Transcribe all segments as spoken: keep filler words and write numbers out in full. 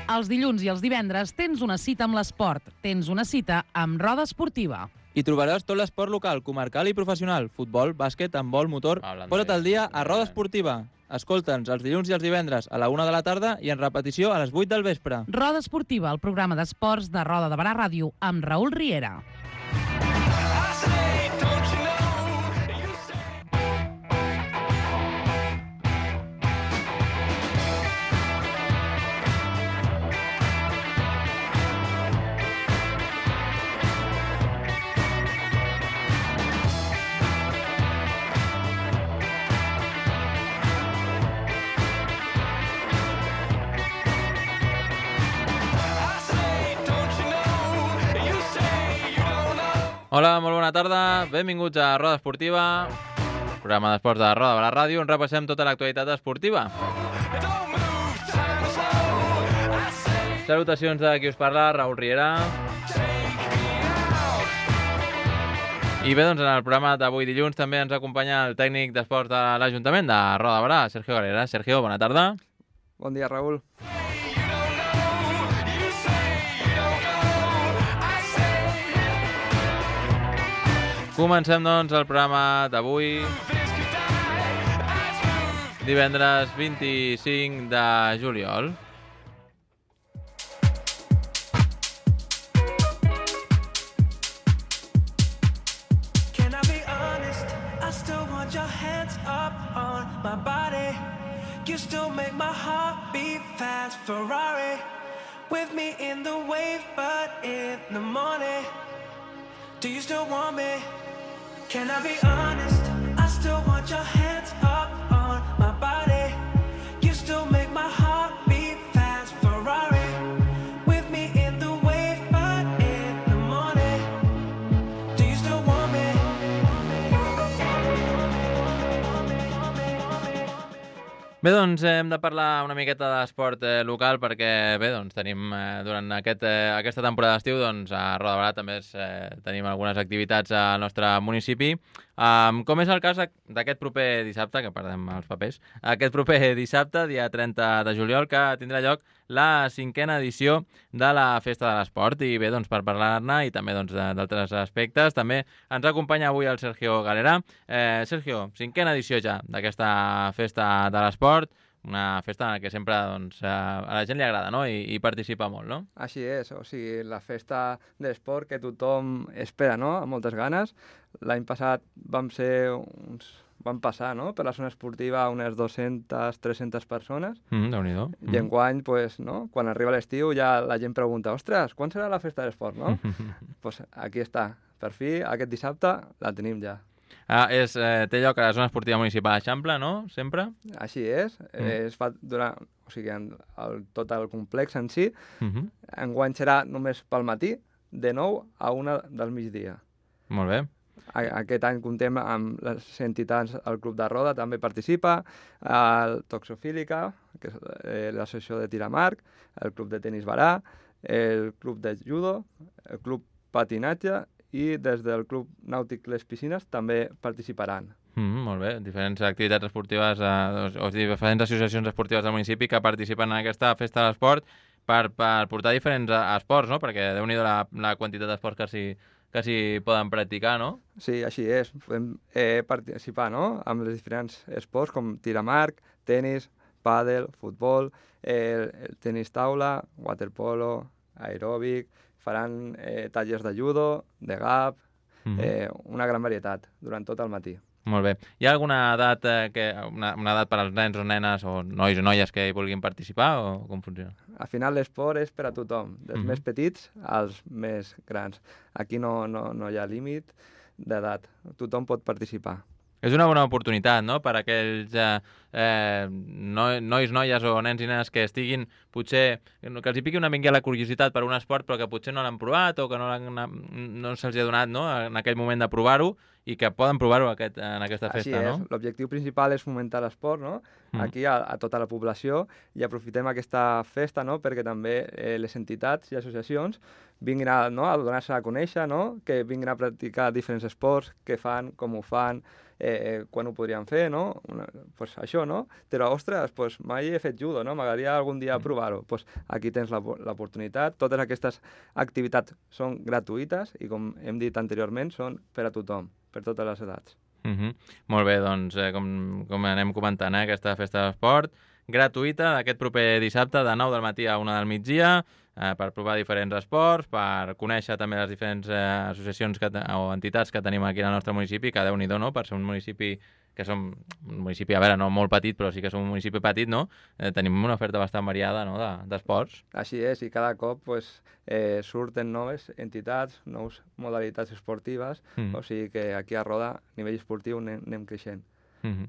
Els dilluns i els divendres tens una cita amb l'esport. Tens una cita amb Roda Esportiva. Hi trobaràs tot l'esport local, comarcal i professional. Futbol, bàsquet, handbol, motor... Posa't al dia a Roda Esportiva. Escolta'ns els dilluns i els divendres a la una de la tarda i en repetició a les vuit del vespre. Roda Esportiva, el programa d'esports de Roda de Barà Ràdio amb Raül Riera. Hola, molt bona tarda, benvinguts a Roda Esportiva, programa d'esports de Roda de la Ràdio, on repassem tota l'actualitat esportiva. Salutacions de qui us parla, Raül Riera. I bé, doncs en el programa d'avui dilluns també ens acompanya el tècnic d'esports de l'Ajuntament de Roda de Barà, Sergio Galera. Sergio, bona tarda. Bon dia, Raül. Comencem, doncs, el programa d'avui, divendres vint-i-cinc de juliol. Can I be honest? I still want your hands up on my body. You still make my heart beat fast. Ferrari with me in the wave, but in the morning, do you still want me? Can I be honest? I still want your hands up on my body. You still make my heart beat fast. Ferrari with me in the wave, but in the morning, do you still want me? Bé, doncs hem de parlar una miqueta d'esport eh, local perquè, bé, doncs tenim eh, durant aquest, eh, aquesta temporada d'estiu, doncs a Roda de Barà també es, eh, tenim algunes activitats al nostre municipi. Um, com és el cas d'aquest proper dissabte, que perdem els papers, aquest proper dissabte, dia trenta de juliol, que tindrà lloc la cinquena edició de la Festa de l'Esport. I bé, doncs per parlar-ne i també doncs, d'altres aspectes, també ens acompanya avui el Sergio Galera. Eh, Sergio, cinquena edició ja d'aquesta Festa de l'Esport, una festa en la que sempre doncs, a la gent li agrada, no? I, i participa molt, no? Així és, o sigui, la festa d'esport que tothom espera, no?, amb moltes ganes. L'any passat vam ser uns... van passar, no?, per la zona esportiva unes dues-centes, tres-centes persones. Mm, Déu-n'hi-do. I enguany, pues, no?, quan arriba l'estiu ja la gent pregunta, ostres, quan serà la festa d'esport, no? Pues aquí està, per fi, aquest dissabte la tenim ja. Ah, és, eh, té lloc a la zona esportiva municipal d'Eixample, no?, sempre? Així és, mm. eh, es fa durant, o sigui, en el, tot el complex en si. Mm-hmm. Enguany serà només pel matí, de nou a una del migdia. Molt bé. Aquest any comptem amb les entitats, el Club de Roda també participa, el Toxofílica, que és eh, l'associació de Tiramarc, el Club de Tenis Barà, el Club de Judo, el Club Patinatge i des del Club Nàutic Les Piscines també participaran. Mm, molt bé, diferents activitats esportives, eh, o sigui, diferents associacions esportives del municipi que participen en aquesta festa de l'esport per, per portar diferents esports, no? Perquè déu-n'hi-do la, la quantitat d'esports que s'hi que s'hi poden practicar, no? Sí, així és. Podem eh, participar, no?, amb els diferents esports com tiramarc, tenis, pàdel, futbol, eh, el tenis taula, waterpolo, aeròbic, faran eh, tallers de judo, de gap, mm-hmm. eh, una gran varietat durant tot el matí. Molt bé. Hi ha alguna edat, eh, que, una, una edat per als nens o nenes o nois o noies que hi vulguin participar o com funciona? Al final l'esport és per a tothom, dels mm-hmm. més petits als més grans. Aquí no, no, no hi ha límit d'edat, tothom pot participar. És una bona oportunitat, no?, per a aquells eh, eh, no, nois, noies o nens i nenes que estiguin, potser, que els hi piqui una mica la curiositat per un esport però que potser no l'han provat o que no, no se'ls ha donat, no?, en aquell moment de provar-ho i que poden provar-ho aquest, en aquesta festa, Així és. No? L'objectiu principal és fomentar l'esport, no?, mm. aquí a, a tota la població, i aprofitem aquesta festa, no?, perquè també eh, les entitats i associacions vinguin a, no?, a donar-se a conèixer, no?, que vinguin a practicar diferents esports, què fan, com ho fan, eh, quan ho podríem fer, no? Una, pues això, no? Però, ostres, pues mai he fet judo, no? M'agradaria algun dia provar-ho. Pues aquí tens l'oportunitat. Totes aquestes activitats són gratuïtes i, com hem dit anteriorment, són per a tothom, per totes les edats. Uh -huh. Molt bé, doncs, eh, com, com anem comentant, eh, aquesta festa d'esport gratuïta aquest proper dissabte de nou del matí a una del migdia, eh, per provar diferents esports, per conèixer també les diferents eh, associacions que, o entitats que tenim aquí al nostre municipi, que déu-n'hi-do, no?, per ser un municipi que som un municipi, a veure, no molt petit, però sí que som un municipi petit, no? Eh, tenim una oferta bastant variada, no?, d'esports. De, Així és, i cada cop pues, eh, surten noves entitats, nous modalitats esportives, mm. o sigui que aquí a Roda, a nivell esportiu, anem, anem creixent. Mm-hmm.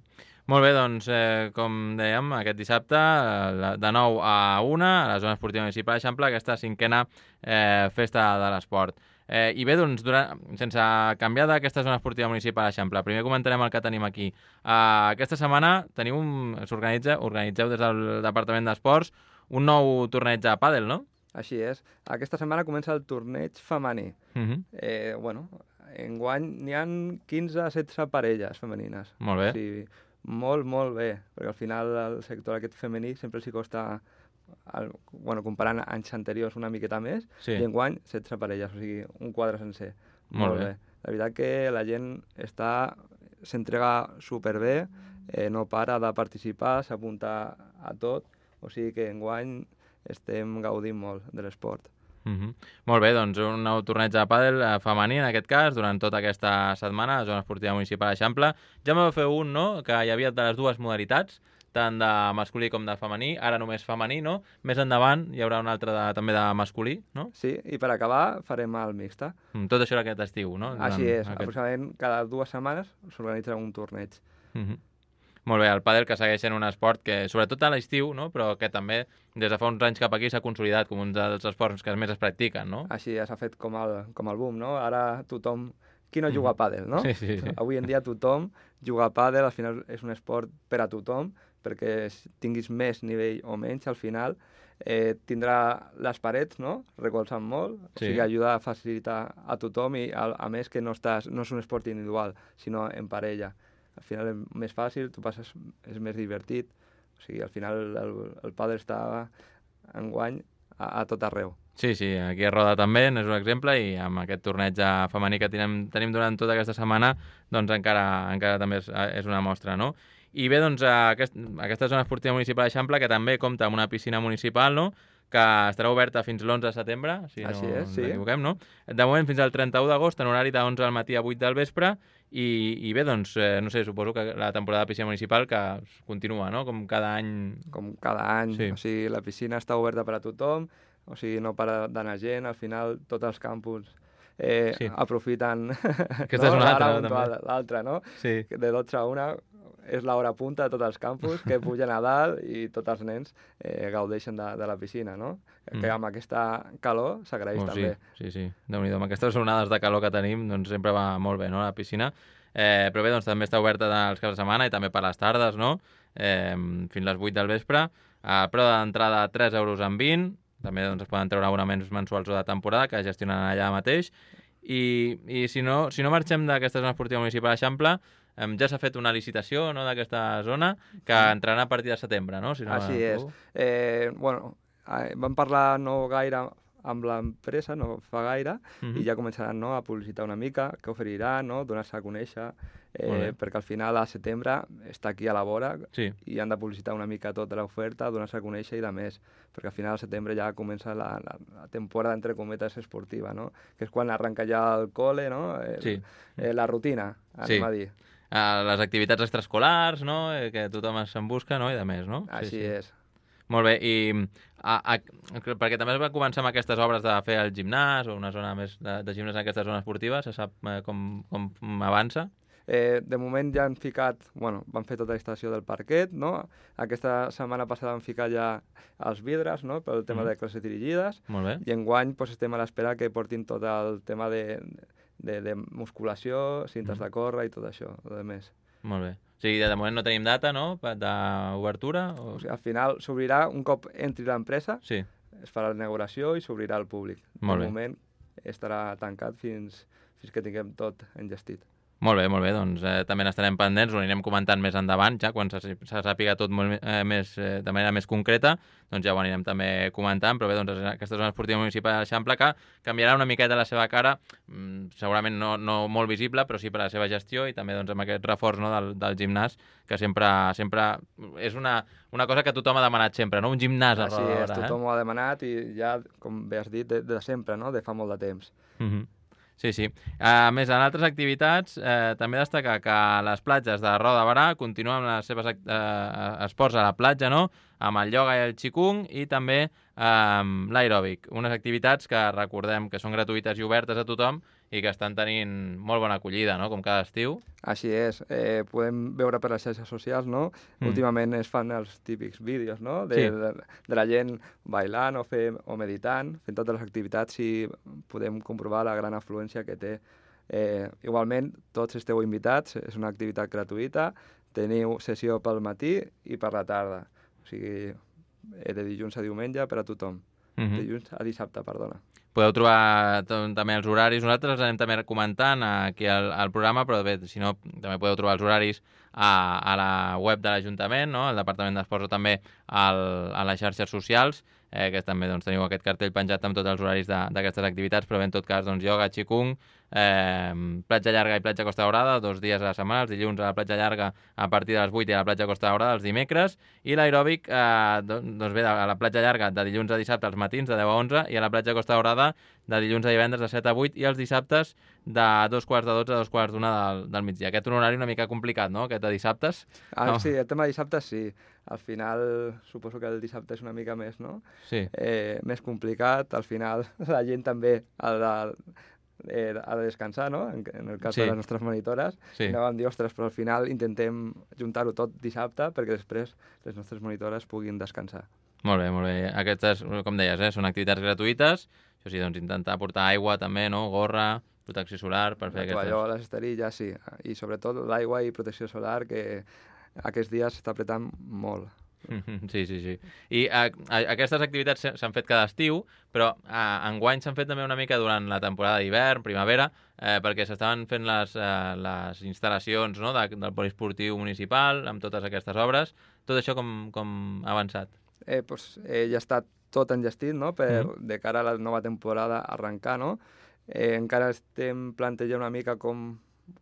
Molt bé, doncs, eh, com dèiem, aquest dissabte, eh, de nou a una, a la zona esportiva municipal d'Eixample, aquesta cinquena eh, festa de l'esport. Eh, I bé, doncs, durant, sense canviar d'aquesta zona esportiva municipal d'Eixample, primer comentarem el que tenim aquí. Uh, aquesta setmana teniu un, s'organitza, organitzeu des del Departament d'Esports un nou torneig de pàdel, no? Així és. Aquesta setmana comença el torneig femení. Uh-huh. eh, bueno, enguany n'hi ha quinze a setze parelles femenines. Molt bé. O sigui, molt, molt bé, perquè al final el sector aquest femení sempre s'hi costa, el, bueno, comparant anys anteriors una miqueta més, sí. i enguany setze parelles, o sigui, un quadre sencer. Molt, molt bé. bé. La veritat que la gent està s'entrega superbé, eh, no para de participar, s'apunta a tot, o sigui que enguany estem gaudint molt de l'esport. Uh-huh. Molt bé, doncs un nou torneig de pàdel eh, femení, en aquest cas, durant tota aquesta setmana a la zona esportiva municipal d'Eixample. Ja m'ha fer un, no?, que hi havia de les dues modalitats, tant de masculí com de femení, ara només femení, no? Més endavant hi haurà un altre de, també de masculí, no? Sí, i per acabar farem el mixta. Mm, tot això era aquest estiu, no? Durant Així és, aquest... aproximadament cada dues setmanes s'organitza un torneig. Uh-huh. Molt bé, el pàdel que segueix sent un esport que, sobretot a l'estiu, no?, però que també des de fa uns anys cap aquí s'ha consolidat com un dels esports que més es practiquen, no? Així ja s'ha fet com el, com el boom, no? Ara tothom... Qui no juga a pàdel, no? Sí, sí, sí. Avui en dia tothom juga a pàdel, al final és un esport per a tothom, perquè tinguis més nivell o menys, al final eh, tindrà les parets, no?, recolzant molt, sí. O sigui, ajuda a facilitar a tothom i a, a més que no, estàs, no és un esport individual, sinó en parella. Al final és més fàcil, tu passes, és més divertit, o sigui, al final el, el pàdel està enguany a, a tot arreu. Sí, sí, aquí a Roda també n'és un exemple i amb aquest torneig femení que tenim, tenim durant tota aquesta setmana, doncs encara, encara també és, és una mostra, no? I bé, doncs, aquest, aquesta zona esportiva municipal d'Eixample, que també compta amb una piscina municipal, no?, que estarà oberta fins l'onze de setembre, si Així no és, ens sí. equivoquem, no? De moment fins al trenta-u d'agost, en horari de onze del matí a vuit del vespre, i, i bé, doncs, eh, no sé, suposo que la temporada de piscina municipal que continua, no?, com cada any... Com cada any, sí. O sigui, la piscina està oberta per a tothom, o sigui, no para d'anar gent, al final tots els campus eh, sí. aprofiten Aquesta no? és una altra, no, també. L'altra, no? Sí. De dotze a una és l'hora punta de tots els campus, que pugen a dalt i tots els nens eh, gaudeixen de, de la piscina, no? Mm. Que amb aquesta calor s'agraeix oh, també. Sí, sí, sí. Déu-n'hi-do, amb aquestes onades de calor que tenim, doncs sempre va molt bé, no?, la piscina. Eh, però bé, doncs també està oberta els caps de setmana i també per les tardes, no?, eh, fins les vuit del vespre. Eh, però d'entrada tres euros amb vint, també doncs, es poden treure abonaments mensuals o de temporada que gestionen allà mateix. I, i si, no, si no marxem d'aquesta zona esportiva municipal d'Eixample, eh, ja s'ha fet una licitació, no?, d'aquesta zona que entrarà a partir de setembre, no? Si no Així és. Eh, bueno, eh, vam parlar no gaire amb l'empresa, no fa gaire, uh-huh. i ja començaran, no, a publicitar una mica què oferiran, no?, donar-se a conèixer, eh, perquè al final a setembre està aquí a la vora, sí. i han de publicitar una mica tota l'oferta, donar-se a conèixer i de més, perquè al final al setembre ja comença la, la, la temporada, entre cometes, esportiva, no?, que és quan arrenca ja el col·le, no?, el, sí. eh, la rutina, anem sí. a dir. Uh, les activitats extraescolars, no?, eh, que tothom se'n busca, no?, i de més, no? Així sí, sí. és. Molt bé, i a, a, perquè també es va començar amb aquestes obres de fer el gimnàs o una zona més de, de gimnàs en aquesta zona esportiva, se sap eh, com, com avança? Eh, de moment ja han ficat, bueno, van fer tota la instal·lació del parquet, no? Aquesta setmana passada han ficat ja els vidres, no?, pel tema mm. de classes dirigides. Molt bé. I enguany pues, estem a l'espera que portin tot el tema de, de, de musculació, cintes mm. de córrer i tot això, de més. Molt bé. O sigui, de moment no tenim data, no?, d'obertura? O... O sigui, al final s'obrirà un cop entri l'empresa, sí. es farà la inauguració i s'obrirà al públic. Molt de bé. moment estarà tancat fins, fins que tinguem tot engestit. Molt bé, molt bé, doncs eh, també n'estarem pendents, ho anirem comentant més endavant, ja quan se, se sàpiga tot molt eh, més, eh, de manera més concreta, doncs ja ho anirem també comentant, però bé, doncs aquesta zona esportiva municipal d'Eixample que canviarà una miqueta la seva cara, mm, segurament no, no molt visible, però sí per la seva gestió i també doncs, amb aquest reforç no, del, del gimnàs, que sempre, sempre és una, una cosa que tothom ha demanat sempre, no? Un gimnàs a Roda de Berà. Així és, tothom ho ha demanat i ja, com bé has dit, de, de sempre, no? De fa molt de temps. Mm-hmm. Sí, sí. A més, en altres activitats, eh, també destacar que les platges de Roda de Berà continuen amb les seves eh, esports a la platja, no?, amb el ioga i el qigong i també eh, l'aeròbic. Unes activitats que recordem que són gratuïtes i obertes a tothom i que estan tenint molt bona acollida, no?, com cada estiu. Així és. Eh, podem veure per les xarxes socials, no? Mm. Últimament es fan els típics vídeos, no?, de, sí. de, de la gent bailant o, fer, o meditant, fent totes les activitats i podem comprovar la gran afluència que té. Eh, igualment, tots esteu invitats, és una activitat gratuïta, teniu sessió pel matí i per la tarda. O sigui, de dilluns a diumenge per a tothom. Mm-hmm. Dilluns a dissabte, perdona. Podeu trobar també els horaris. Nosaltres els anem també comentant aquí al, al programa, però bé, si no, també podeu trobar els horaris a, a la web de l'Ajuntament, no?, al Departament d'Esports o també al, a les xarxes socials, eh, que també doncs, teniu aquest cartell penjat amb tots els horaris d'aquestes activitats, però bé, en tot cas, doncs, ioga, qigong, eh, platja llarga i platja Costa Daurada, dos dies a la setmana, els dilluns a la platja llarga a partir de les vuit i a la platja Costa Daurada els dimecres, i l'aeròbic, eh, doncs bé, a la platja llarga de dilluns a dissabte als matins de deu a onze i a la platja Costa Daurada de dilluns a divendres de set a vuit i els dissabtes de dos quarts de dotze a dos quarts d'una del, del migdia. Aquest és un horari una mica complicat, no?, aquest de dissabtes. Ah, no. Sí, el tema de dissabtes sí. Al final suposo que el dissabte és una mica més, no? Sí. Eh, més complicat. Al final la gent també ha de, eh, ha de descansar, no? En, en el cas sí. de les nostres monitores. Sí. I no vam dir, ostres, però al final intentem juntar-ho tot dissabte perquè després les nostres monitores puguin descansar. Molt bé, molt bé. Aquestes, com deies, eh, són activitats gratuïtes. Això sí, doncs intentar portar aigua també, no? Gorra, protecció solar per fer aquestes... La tovallola, les esterilles, sí. I sobretot l'aigua i protecció solar, que aquests dies s'està apretant molt. Sí, sí, sí. I a, a, aquestes activitats s'han fet cada estiu, però a, enguany s'han fet també una mica durant la temporada d'hivern, primavera, eh, perquè s'estaven fent les, eh, les instal·lacions, no?, de, del poliesportiu municipal, amb totes aquestes obres. Tot això com, com ha avançat? Eh, pues, eh, ja està tot enllestit, no?, per, mm. de cara a la nova temporada arrencar, no? Eh, encara estem plantejant una mica com,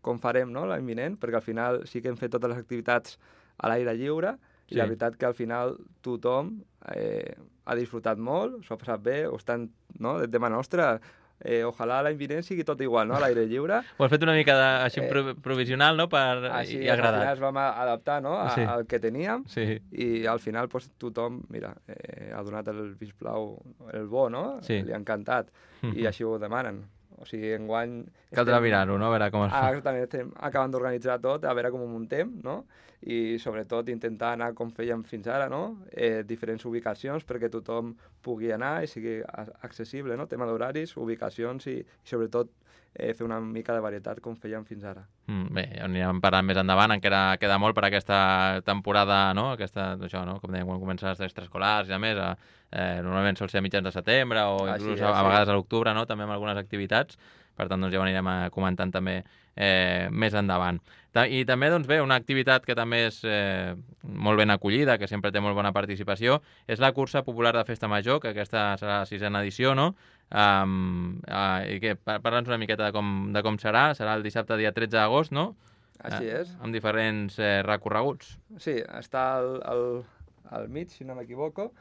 com farem, no?, l'any vinent, perquè al final sí que hem fet totes les activitats a l'aire lliure, sí. I la veritat que al final tothom eh, ha disfrutat molt, s'ho ha passat bé, o estan, no?, de tema nostra, eh, ojalà l'any vinent sigui tot igual, no?, a l'aire lliure. Ho has fet una mica de, així eh, provisional, no?, per, així, i agradat. Al final ens vam adaptar, no?, a, sí. al que teníem, sí. I al final pues, tothom, mira, eh, ha donat el visplau, el bo, no?, sí. Li ha encantat, mm-hmm. I així ho demanen. O sigui, enguany... Caldrà mirar-ho, no?, a veure com es fa. Ah, exactament, estem acabant d'organitzar tot, a veure com ho muntem, no?, i sobretot intentar anar com fèiem fins ara, no?, eh, diferents ubicacions perquè tothom pugui anar i sigui accessible, no?, tema d'horaris, ubicacions i, i sobretot eh, fer una mica de varietat com fèiem fins ara. Mm, bé, anirem parlant més endavant, encara queda molt per aquesta temporada, no?, aquesta, això, no?, com dèiem, quan comencen les extraescolars i a més, eh, normalment sol ser a mitjans de setembre o inclús a, a vegades a l'octubre, no?, també amb algunes activitats. Per tant, doncs ja ho anirem comentant també eh, més endavant. I també, doncs bé, una activitat que també és eh, molt ben acollida, que sempre té molt bona participació, és la cursa popular de Festa Major, que aquesta serà la sisena edició, no? Um, uh, i que, parla'ns una miqueta de com, de com serà. Serà el dissabte dia tretze d'agost, no? Així és. Uh, amb diferents eh, recorreguts. Sí, està al, al, al mig, si no m'equivoco,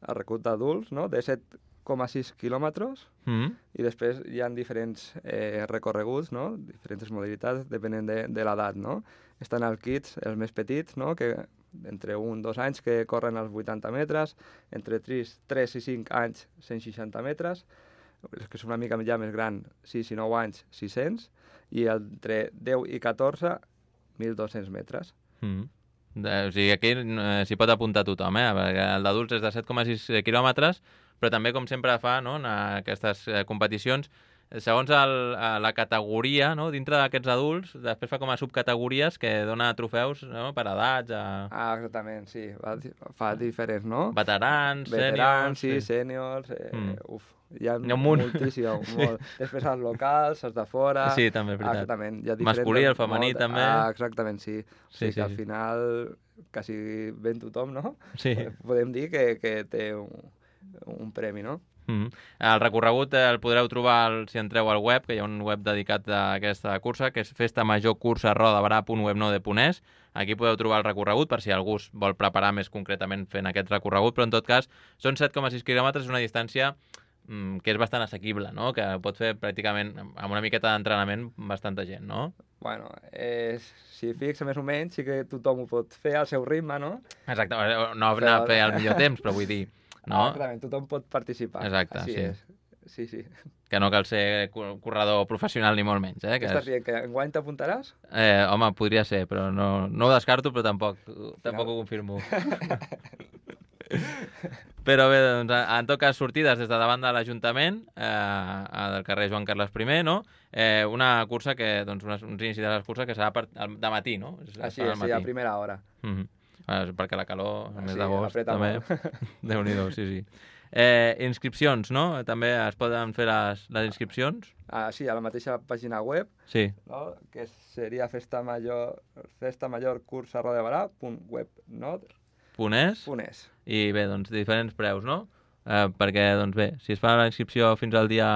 el recorregut d'adults, no?, de set coma sis quilòmetres, mm-hmm. I després hi ha diferents eh, recorreguts, no?, diferents modalitats, depenent de, de l'edat, no? Estan els kids, els més petits, no?, que entre un dos anys que corren als vuitanta metres, entre tres i cinc anys cent seixanta metres, els que són una mica ja més gran, sis i nou anys sis-cents, i entre deu i catorze, mil dos-cents metres. Mm-hmm. O sigui, aquí eh, s'hi pot apuntar tothom, eh? Perquè el d'adults és de set coma sis quilòmetres, però també, com sempre fa, no?, en aquestes eh, competicions, segons el, la categoria, no? Dintre d'aquests adults, després fa com a subcategories que dona trofeus, no? Per edats, a... Ah, exactament, sí. Fa diferents, no? Veterans, Veterans, sèniors... sí, sèniors... Eh, mm. Uf, hi ha, hi ha un munt. Moltíssim, molt. Després els locals, els de fora... Sí, també, és veritat. Ah, exactament. Hi ha masculí, el femení, molt... també. Ah, exactament, sí. O sí, sigui sí, que al sí. final quasi ben tothom, no? Sí. Podem dir que, que té un, un premi, no? Mm -hmm. El recorregut el podreu trobar si entreu al web, que hi ha un web dedicat a aquesta cursa, que és festa major cursa rodabarà punt webnode punt es. Aquí podeu trobar el recorregut per si algú es vol preparar més concretament fent aquest recorregut, però en tot cas són set coma sis quilòmetres, una distància mm, que és bastant assequible, no? Que pot fer pràcticament amb una miqueta d'entrenament bastanta gent, no? Bueno, eh, si fixa més o menys, sí que tothom ho pot fer al seu ritme, no? Exacte, no anar a fer el millor temps, però vull dir... No? Ah, exactament, tothom pot participar. Exacte, Així sí. és. Sí, sí. Que no cal ser corredor professional ni molt menys, eh? Que estàs dient, que enguany t'apuntaràs? Eh, home, podria ser, però no, no ho descarto, però tampoc, tampoc ho confirmo. Però bé, doncs, en tot cas, sortides des de davant de l'Ajuntament, eh, del carrer Joan Carles I, no? Eh, una cursa que, doncs, uns, uns inicis de les curses que serà per, de matí, no? Així és, sí, a primera hora. Mm-hmm. Eh, perquè la calor, el mes sí, d'agost, també... Déu-n'hi-do, sí, sí. Eh, inscripcions, no? També es poden fer les, les inscripcions? Ah, sí, a la mateixa pàgina web, sí. No? Que seria festa major, festa major cursa rodabarà punt webnode punt es. Punt es. I bé, doncs, diferents preus, no? Eh, perquè, doncs bé, si es fa la inscripció fins al dia...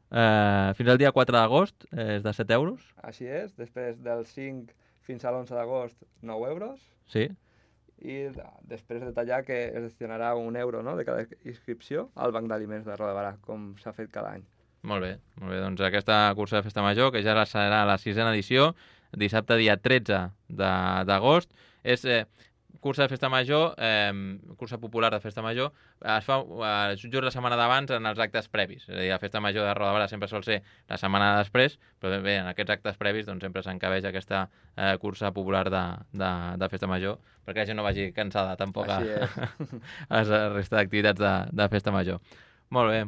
Eh, fins al dia quatre d'agost eh, és de set euros. Així és, després del cinc fins a l'onze d'agost, nou euros. Sí. I després detallar que es destinarà un euro, no?, de cada inscripció al Banc d'Aliments de Rodabarà, com s'ha fet cada any. Molt bé, molt bé. Doncs aquesta cursa de festa major, que ja serà la sisena edició, dissabte dia tretze d'agost, és eh, cursa de festa major, eh, cursa popular de festa major, es fa eh, just la setmana d'abans en els actes previs. És a dir, la festa major de Rodabarà sempre sol ser la setmana després, però bé, en aquests actes previs doncs, sempre s'encabeix aquesta eh, cursa popular de, de, de festa major, perquè la gent no vagi cansada tampoc a, a la resta d'activitats de, de festa major. Molt bé.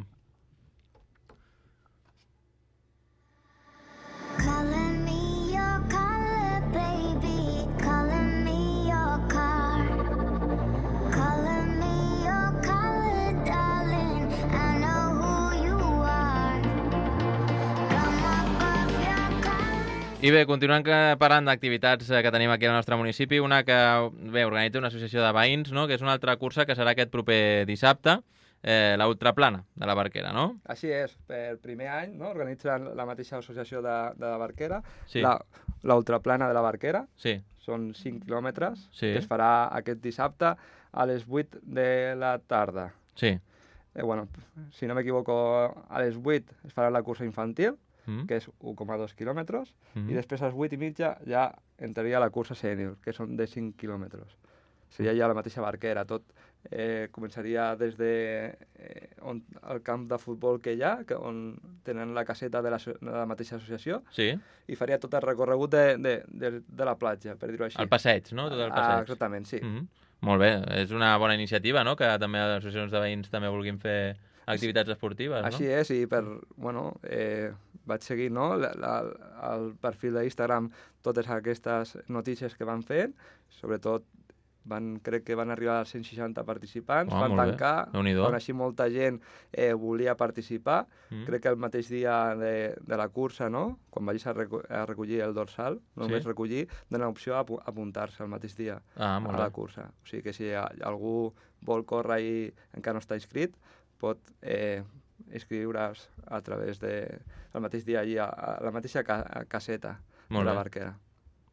I bé, continuant parlant d'activitats que tenim aquí al nostre municipi, una que bé, organitza una associació de veïns, no? Que és una altra cursa que serà aquest proper dissabte, eh, la Ultraplana de la Barquera, no? Així és, per primer any, no? Organitza la mateixa associació de, de la Barquera, sí. la, la Ultraplana de la Barquera, sí. Són cinc quilòmetres, sí. Que es farà aquest dissabte a les vuit de la tarda. Sí. Eh, bueno, si no m'equivoco, a les vuit es farà la cursa infantil, Mm. que és un coma dos quilòmetres, mm. i després a les vuit i mitja ja entraria la cursa sènior, que són de cinc quilòmetres. Seria ja la mateixa Barquera, tot eh, començaria des de eh, on, el camp de futbol que hi ha, que, on tenen la caseta de la, de la mateixa associació, sí. I faria tot el recorregut de, de, de, de la platja, per dir-ho així. El passeig, no? Tot el passeig. Ah, exactament, sí. Mm -hmm. Molt bé, és una bona iniciativa, no?, que també les associacions de veïns també vulguin fer activitats esportives, no? Així és, i per, bueno, eh, vaig seguir, no?, la, la, el perfil d'Instagram, totes aquestes notícies que van fent, sobretot van, crec que van arribar als cent seixanta participants, oh, van tancar, quan així molta gent eh, volia participar, mm. crec que el mateix dia de, de la cursa, no?, quan vagis a, reco a recollir el dorsal, només sí. recollir, dona opció a apuntar-se el mateix dia ah, a la cursa. O sigui que si algú vol córrer i encara no està inscrit, pot eh, inscriure's a través de el mateix dia allí, a, a la mateixa ca caseta Molt de la bé. Barquera.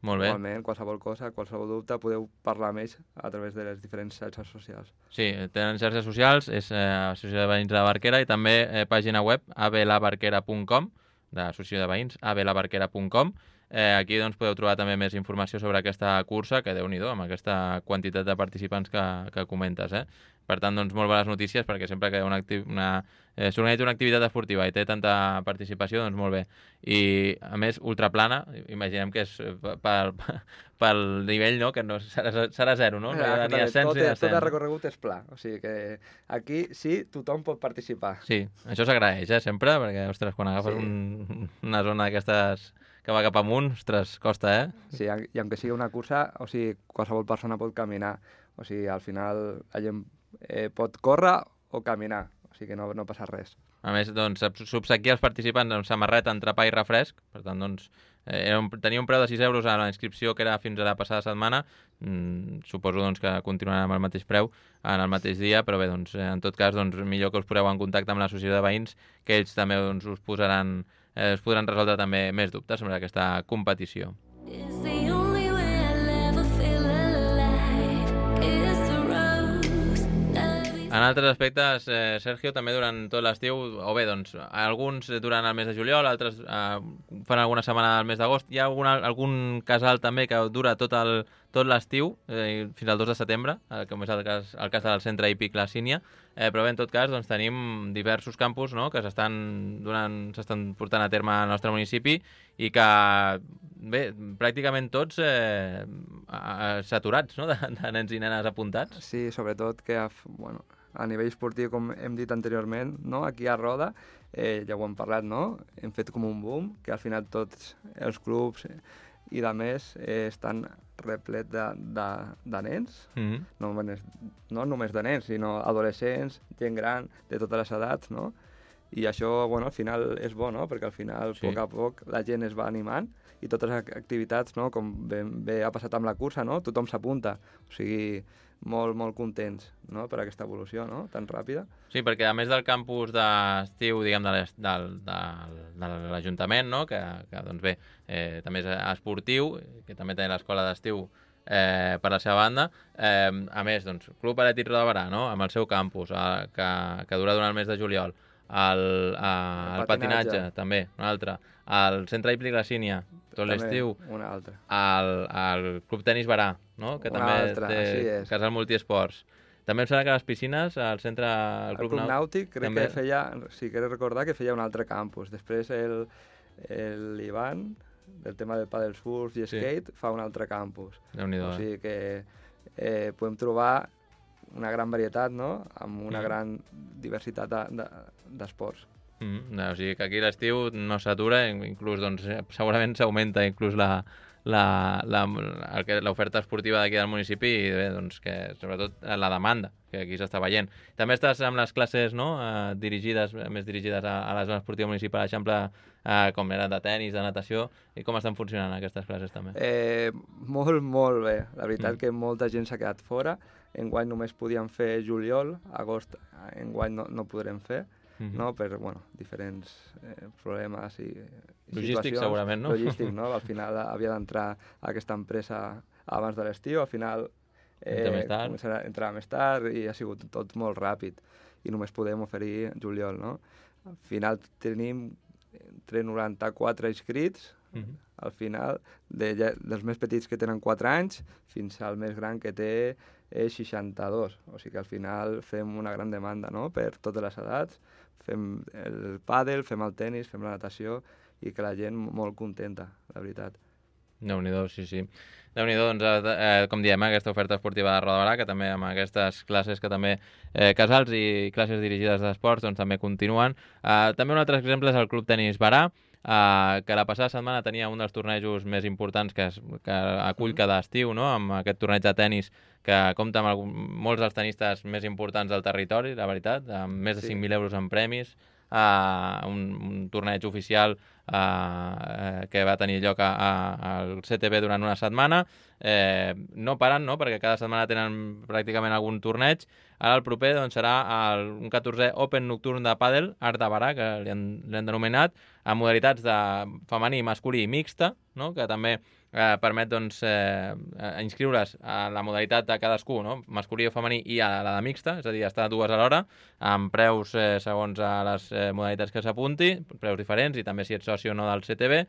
Molt bé. Igualment, qualsevol cosa, qualsevol dubte, podeu parlar amb ells a través de les diferents xarxes socials. Sí, tenen xarxes socials, és eh, Associació de Veïns de la Barquera, i també eh, pàgina web a b la barquera punt com, de l'Associació de Veïns, a b la barquera punt com. Eh, aquí doncs, podeu trobar també més informació sobre aquesta cursa, que Déu-n'hi-do, amb aquesta quantitat de participants que, que comentes. Eh? per tant, doncs, molt bones notícies, perquè sempre que una, una, eh, s'organitza una activitat esportiva i té tanta participació, doncs molt bé. I, a més, ultraplana, imaginem que és pel, pel nivell, no?, que no serà, serà zero, no? No hi ha ni ascens ni descens. Tot el recorregut és pla, o sigui que aquí sí, tothom pot participar. Sí, això s'agraeix, eh, sempre, perquè, ostres, quan agafes Sí. un, una zona d'aquestes que va cap amunt, ostres, costa, eh? Sí, i aunque sigui una cursa, o sigui, qualsevol persona pot caminar. O sigui, al final la gent eh, pot córrer o caminar, o sigui que no, no passa res. A més, doncs, s'obsequia els participants amb samarreta, entrepà i refresc, per tant, doncs, eh, un, tenia un preu de sis euros a la inscripció que era fins a la passada setmana, mm, suposo doncs, que continuarà amb el mateix preu en el mateix dia, però bé, doncs, en tot cas, doncs, millor que us poseu en contacte amb l'associació de veïns, que ells també doncs, us posaran, eh, us podran resoldre també més dubtes sobre aquesta competició. Is the only way I'll ever feel alive is the rose. En altres aspectes, eh, Sergio, també durant tot l'estiu, o bé, doncs, alguns durant el mes de juliol, altres eh, fan alguna setmana al mes d'agost. Hi ha algun, algun casal també que dura tot el tot l'estiu, eh, fins al dos de setembre, eh, com és el cas, el cas del centre hípic La Sínia, eh, però bé, en tot cas, doncs, tenim diversos campus, no?, que s'estan donant, s'estan portant a terme al nostre municipi i que, bé, pràcticament tots eh, saturats, no?, de, de nens i nenes apuntats. Sí, sobretot que a, bueno, a nivell esportiu, com hem dit anteriorment, no? Aquí a Roda, eh, ja ho hem parlat, no? Hem fet com un boom, que al final tots els clubs i de més eh, estan replet de, de, de nens, Mm-hmm. no, només, no només de nens, sinó adolescents, gent gran, de totes les edats, no? I això, bueno, al final és bo, no? Perquè al final, Sí. a poc a poc, la gent es va animant i totes les activitats, no? Com bé, bé ha passat amb la cursa, no? Tothom s'apunta. O sigui, molt, molt contents, no?, per aquesta evolució, no?, tan ràpida. Sí, perquè a més del campus d'estiu, diguem, de l'est- del, del, de l'Ajuntament, no?, que, que doncs bé, eh, també és esportiu, que també té l'escola d'estiu eh, per la seva banda, eh, a més, doncs, Club Atlètic Roda de Berà, no?, amb el seu campus, eh, que, que dura durant el mes de juliol, el, eh, el, El patinatge, patinatge. també, un altre, el centre hípic La Sínia, tot També l'estiu, Una altra. el, el Club Tenis Berà, no?, que Una també altra, té així és. casal multiesports. També em sembla que les piscines, el centre... El El Club Nàutic crec també- que feia, sí, crec recordar que feia un altre campus. Després el, el Ivan, del tema del paddle surf i Sí. skate, fa un altre campus. Déu-n'hi-do, O eh? sigui que eh, podem trobar una gran varietat, no?, amb una Mm. gran diversitat de- de- d'esports. Mm, no, o sigui que aquí l'estiu no s'atura, inclús doncs, eh, segurament s'augmenta inclús la la- la- el que- l'oferta esportiva d'aquí del municipi i bé, doncs, que sobretot la demanda que aquí s'està veient. També estàs amb les classes, no?, eh, dirigides, més dirigides a, a la zona esportiva municipal, per exemple, eh, com eren de tennis, de natació, i com estan funcionant aquestes classes també? Eh, molt, molt bé. La veritat Mm. que molta gent s'ha quedat fora. Enguany només podíem fer juliol, agost enguany no, no podrem fer, Mhm. no? Per, bueno, diferents eh, problemes i, i Logístics, situacions. segurament, no? Logístic, no? Al final havia d'entrar aquesta empresa abans de l'estiu, al final Entra més tard. començarà a entrar més tard i ha sigut tot molt ràpid i només podem oferir juliol, no? Al final tenim entre noranta-quatre inscrits, Mhm. al final, de, ja- dels més petits que tenen quatre anys fins al més gran que té eh, seixanta-dos. O sigui que al final fem una gran demanda, no?, per totes les edats. Fem el pàdel, fem el tennis, fem la natació i que la gent molt contenta, la veritat. Déu-n'hi-do, sí, sí. Déu-n'hi-do, doncs, eh, eh, com diem, eh, aquesta oferta esportiva de Roda de Berà, que també amb aquestes classes que també, eh, casals i classes dirigides d'esports, doncs també continuen. Eh, també un altre exemple és el Club Tenis Berà, eh, que la passada setmana tenia un dels tornejos més importants que, es, que acull cada estiu, no?, amb aquest torneig de tenis que compta amb algun, molts dels tenistes més importants del territori, la veritat, amb més de Sí. cinc mil euros en premis, uh, un, un torneig oficial uh, que va tenir lloc a, a, al C T B durant una setmana. Eh, no paren, no?, perquè cada setmana tenen pràcticament algun torneig. Ara el proper doncs, serà el, un catorzè Open Nocturn de Pàdel, Art de Berà, que li han, li han denominat, amb modalitats de femení, masculí i mixta, no?, que també eh, permet doncs, eh, inscriure's a la modalitat de cadascú, no?, masculí o femení, i a la de mixta, és a dir, estar dues alhora, amb preus eh, segons a les eh, modalitats que s'apunti, preus diferents, i també si ets soci o no del C T B.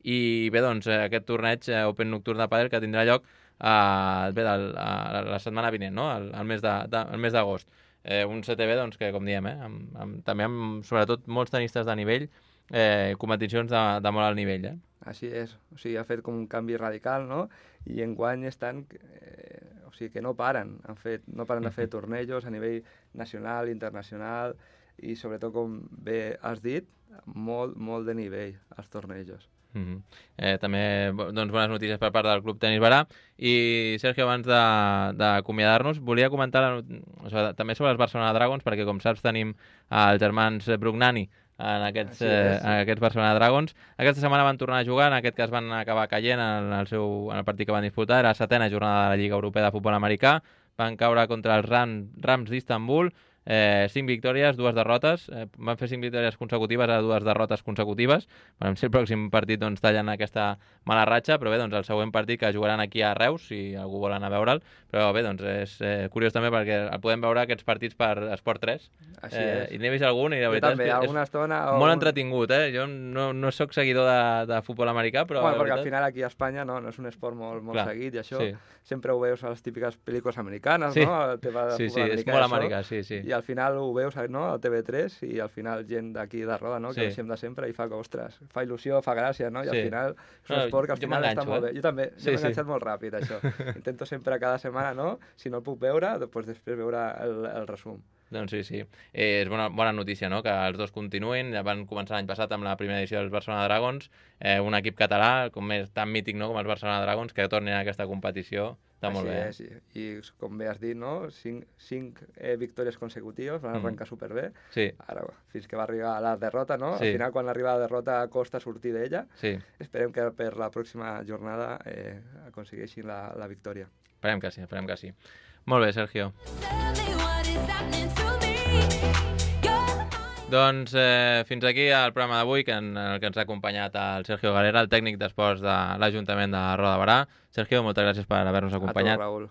I bé, doncs, eh, aquest torneig eh, Open Nocturn de Pàdel que tindrà lloc uh, bé, el, uh, la setmana vinent, no? el, el mes de- de- el mes d'agost. Eh, un C T B, doncs, que com diem, eh, amb, amb, també amb, sobretot, molts tenistes de nivell, eh, competicions de, de molt alt nivell. Eh? Així és, o sigui, ha fet com un canvi radical, no? I enguany estan, eh, o sigui, que no paren, han fet, no paren de fer tornejos a nivell nacional, internacional, i sobretot, com bé has dit, molt, molt de nivell als tornejos. Mm -hmm. eh, també doncs, bones notícies per part del Club Tenis Barà. I Sergio, abans de- d'acomiadar-nos, volia comentar la, o sigui, també sobre els Barcelona Dragons, perquè com saps tenim els germans Brugnani en aquests, Així és, eh, sí. en aquests Barcelona Dragons. Aquesta setmana van tornar a jugar, en aquest cas van acabar caient en el, seu, en el partit que van disputar, era la setena jornada de la Lliga Europea de Futbol Americà, van caure contra els Ram, Rams d'Istanbul, eh, cinc victòries, dues derrotes, eh, van fer cinc victòries consecutives a dues derrotes consecutives. Veurem si el pròxim partit doncs, tallen aquesta mala ratxa, però bé, doncs, el següent partit que jugaran aquí a Reus, si algú vol anar a veure'l, però bé, doncs és eh, curiós també perquè el podem veure aquests partits per Esport tres, Així eh, és. i n'he vist algun i la Jo veritat també, és que alguna és estona... o molt un- entretingut, eh? Jo no, no sóc seguidor de, de futbol americà, però Bueno, la perquè al veritat... final aquí a Espanya no, no és un esport molt, molt Clar, seguit i això sí. sempre ho veus a les típiques pel·lícules americanes, Sí. no? El tema de Sí, sí, futbol és americà i molt això. americà, sí, sí. I al final ho veus no? al T V tres i al final gent d'aquí de Roda, no? que Sí. deixem de sempre i fa que, ostres, fa il·lusió, fa gràcia, no? I al Sí. final és un No, esport que al jo final està m'enganxo, molt eh? bé. Jo també, Sí, jo m'he sí. enganxat molt ràpid, això. Intento sempre cada setmana, no? Si no el puc veure, doncs després veure el, el resum. Doncs sí, sí. Eh, és bona, bona notícia, no?, que els dos continuïn. Ja van començar l'any passat amb la primera edició dels Barcelona Dragons, eh, un equip català, com és tan mític, no?, com els Barcelona Dragons, que tornin a aquesta competició. Està molt bé. Així és, i, i com bé has dit, no? Cinc, cinc eh, victòries consecutives, van Mhm. arrencar superbé. Sí, Ara, fins que va arribar a la derrota, no? Sí. Al final, quan arriba la derrota, costa sortir d'ella. sí. Esperem que per la pròxima jornada eh, aconsegueixin la, la victòria. Esperem que sí, esperem que sí. Molt bé, Sergio. Tell me what is happening to me. You're Doncs eh, fins aquí el programa d'avui, que en el que ens ha acompanyat el Sergio Galera, el tècnic d'esports de l'Ajuntament de Roda de Barà. Sergio, moltes gràcies per haver-nos A tu, acompanyat. Raül.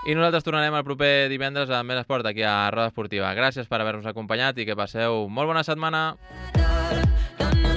I nosaltres tornarem el proper divendres amb més esport aquí a Roda Esportiva. Gràcies per haver-nos acompanyat i que passeu molt bona setmana. the, the